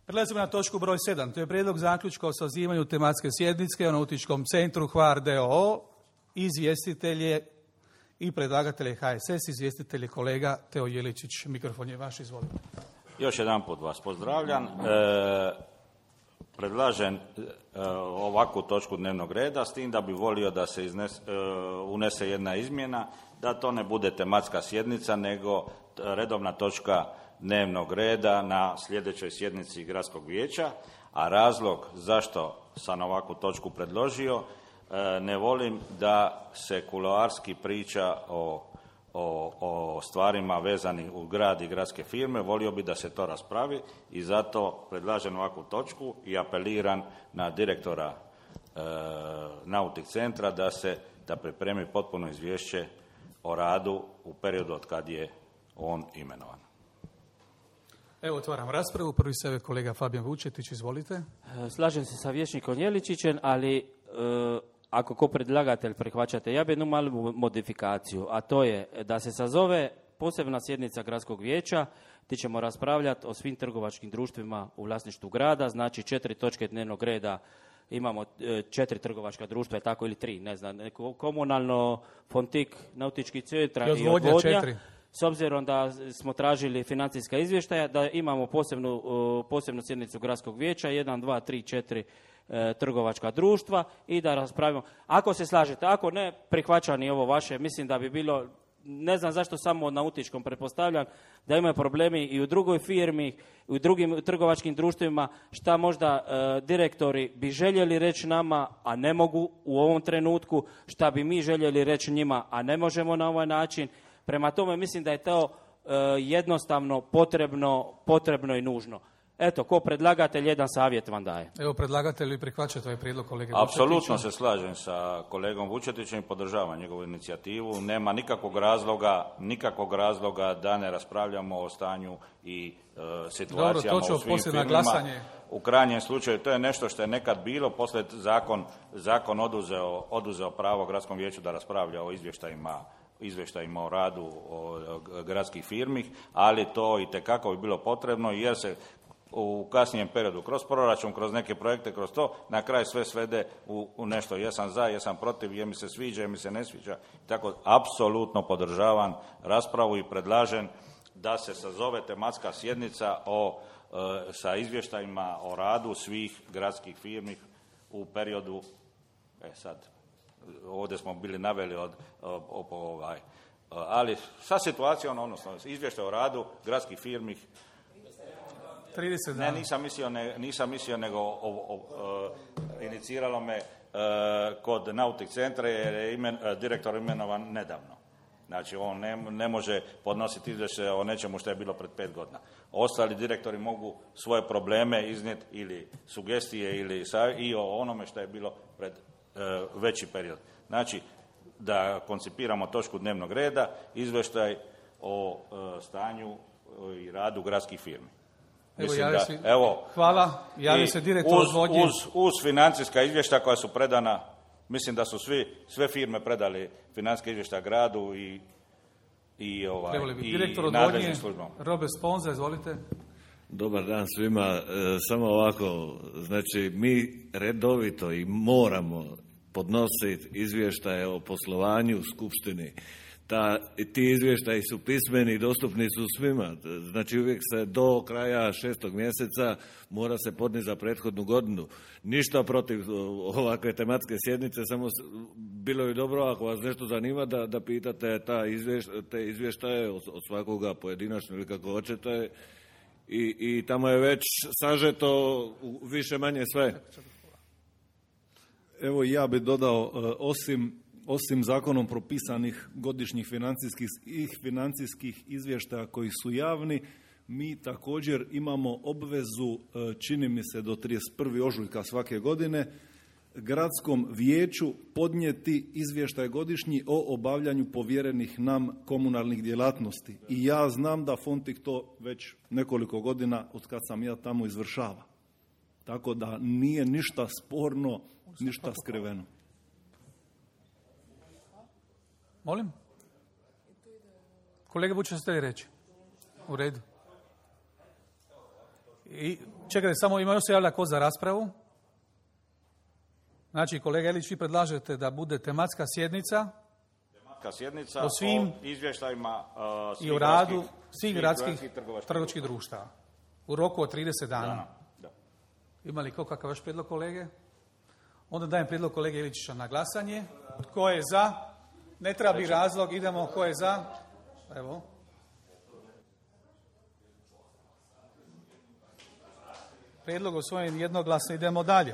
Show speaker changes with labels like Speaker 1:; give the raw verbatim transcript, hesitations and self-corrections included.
Speaker 1: Prelazimo na točku broj sedam. To je prijedlog zaključka o sazivanju tematske sjednice o Nautičkom centru Hvar d o o. Izvjestitelj i predlagatelj je H S S, izvjestitelj je kolega Teo Jeličić. Mikrofon je vaš, izvolite.
Speaker 2: Još jedan put vas pozdravljam. E, predlažem e, ovakvu točku dnevnog reda, s tim da bi volio da se iznes, e, unese jedna izmjena, da to ne bude tematska sjednica, nego redovna točka dnevnog reda na sljedećoj sjednici Gradskog vijeća, a razlog zašto sam ovakvu točku predložio, e, ne volim da se kuloarski priča o O, o stvarima vezanih u grad i gradske firme, volio bi da se to raspravi i zato predlažem ovakvu točku i apeliram na direktora e, Nautik centra da se da pripremi potpuno izvješće o radu u periodu od kad je on imenovan.
Speaker 1: Evo, otvaram raspravu. Prvi se je kolega Fabijan Vučetić, izvolite.
Speaker 3: Slažem se sa vijećnikom Jeličićem, ali e, ako ko predlagatelj prihvaćate, ja bi jednu malu modifikaciju, a to je da se sazove posebna sjednica Gradskog vijeća gdje ćemo raspravljati o svim trgovačkim društvima u vlasništvu grada, znači četiri točke dnevnog reda, imamo četiri trgovačka društva, tako ili tri, ne znam, komunalno, Fontik, Nautički centar i odvodnja. Četiri. S obzirom da smo tražili financijska izvještaja, da imamo posebnu, posebnu sjednicu Gradskog vijeća, jedan, dva, tri, četiri e, trgovačka društva i da raspravimo. Ako se slažete, ako ne, prihvaća ni ovo vaše, mislim da bi bilo, ne znam zašto samo na nautičkom, pretpostavljam da imaju problemi i u drugoj firmi, i u drugim trgovačkim društvima, šta možda e, direktori bi željeli reći nama, a ne mogu u ovom trenutku, šta bi mi željeli reći njima, a ne možemo na ovaj način. Prema tome mislim da je to e, jednostavno potrebno, potrebno i nužno. Eto, ko predlagatelj, jedan savjet vam daje.
Speaker 1: Evo, predlagatelj, vi prihvaćate ovaj prijedlog kolege
Speaker 2: Vučetića? Apsolutno
Speaker 1: Vučetića.
Speaker 2: se slažem sa kolegom Vučetićem i podržavam njegovu inicijativu. Nema nikakvog razloga, nikakvog razloga da ne raspravljamo o stanju i e, situacijama
Speaker 1: Dobro,
Speaker 2: u svim firmama.
Speaker 1: Glasanje.
Speaker 2: U krajnjem slučaju to je nešto što je nekad bilo, poslije zakon, zakon oduzeo, oduzeo pravo Gradskom vijeću da raspravlja o izvještajima izvještajima o radu o gradskih firmi, ali to i tekako bi bilo potrebno jer se u kasnijem periodu kroz proračun, kroz neke projekte, kroz to, na kraju sve svede u, u nešto. Jesam za, jesam protiv, je mi se sviđa, je mi se ne sviđa. Tako, apsolutno podržavam raspravu i predlažem da se sazove tematska sjednica o, e, sa izvještajima o radu svih gradskih firmi u periodu, e sad, ovdje smo bili naveli od, od, od ovaj, ali sa situacijom, odnosno izvještaj o radu gradskih firmi.
Speaker 1: trideset dana.
Speaker 2: Ne, nisam mislio, ne, nisam mislio nego o, o, o, iniciralo me e, kod Nautik centra jer je imen, direktor imenovan nedavno. Znači, on ne, ne može podnositi izvješće o nečemu što je bilo pred pet godina. Ostali direktori mogu svoje probleme iznijeti ili sugestije ili i o onome što je bilo pred veći period. Znači, da koncipiramo točku dnevnog reda, izvještaj o e, stanju i radu gradskih firmi.
Speaker 1: Evo,
Speaker 2: Mislim
Speaker 1: da,
Speaker 2: si, evo,
Speaker 1: hvala, javi se direktor
Speaker 2: uz,
Speaker 1: odvodnje.
Speaker 2: Uz, uz financijska izvješća koja su predana, mislim da su svi, sve firme predali financijske izvješća gradu i, i, ovaj, i,
Speaker 1: direktor
Speaker 2: i nadležnim službama.
Speaker 1: Robert Sponza, izvolite.
Speaker 4: Dobar dan svima. E, samo ovako, znači mi redovito i moramo podnositi izvještaje o poslovanju u skupštini. Ta, ti izvještaji su pismeni i dostupni su svima. Znači uvijek se do kraja šestog mjeseca mora se podnijeti za prethodnu godinu. Ništa protiv ovakve tematske sjednice, samo bilo bi dobro ako vas nešto zanima da, da pitate ta izvješ, te izvještaje od, od svakoga pojedinačno ili kako hoćete. I, i tamo je već sažeto više manje sve.
Speaker 5: Evo ja bih dodao, osim, osim zakonom propisanih godišnjih financijskih, financijskih izvještaja koji su javni, mi također imamo obvezu, čini mi se do trideset prvog ožujka svake godine, gradskom vijeću podnijeti izvještaj godišnji o obavljanju povjerenih nam komunalnih djelatnosti. I ja znam da Fontik to već nekoliko godina, od kad sam ja tamo, izvršava. Tako da nije ništa sporno, ništa skriveno.
Speaker 1: Molim? Kolega Vučić, ste li reći? U redu. I Čekajte, samo ima još se javlja ko za raspravu. Znači, kolega Ilić, vi predlažete da bude tematska sjednica
Speaker 2: Tematska sjednica
Speaker 1: o svim
Speaker 2: o izvještajima uh, svih
Speaker 1: i o radu
Speaker 2: gradskih-
Speaker 1: svih gradskih
Speaker 2: trgovačkih
Speaker 1: trgovačkih društava u roku od trideset dana.
Speaker 2: dana. Da.
Speaker 1: Ima li ko kakav vaš prijedlog, kolege? Onda dajem prijedlog kolege Iličića na glasanje. Tko je za? Ne treba biti razlog, idemo. Tko je za? Evo. Prijedlog usvojen jednoglasno, idemo dalje.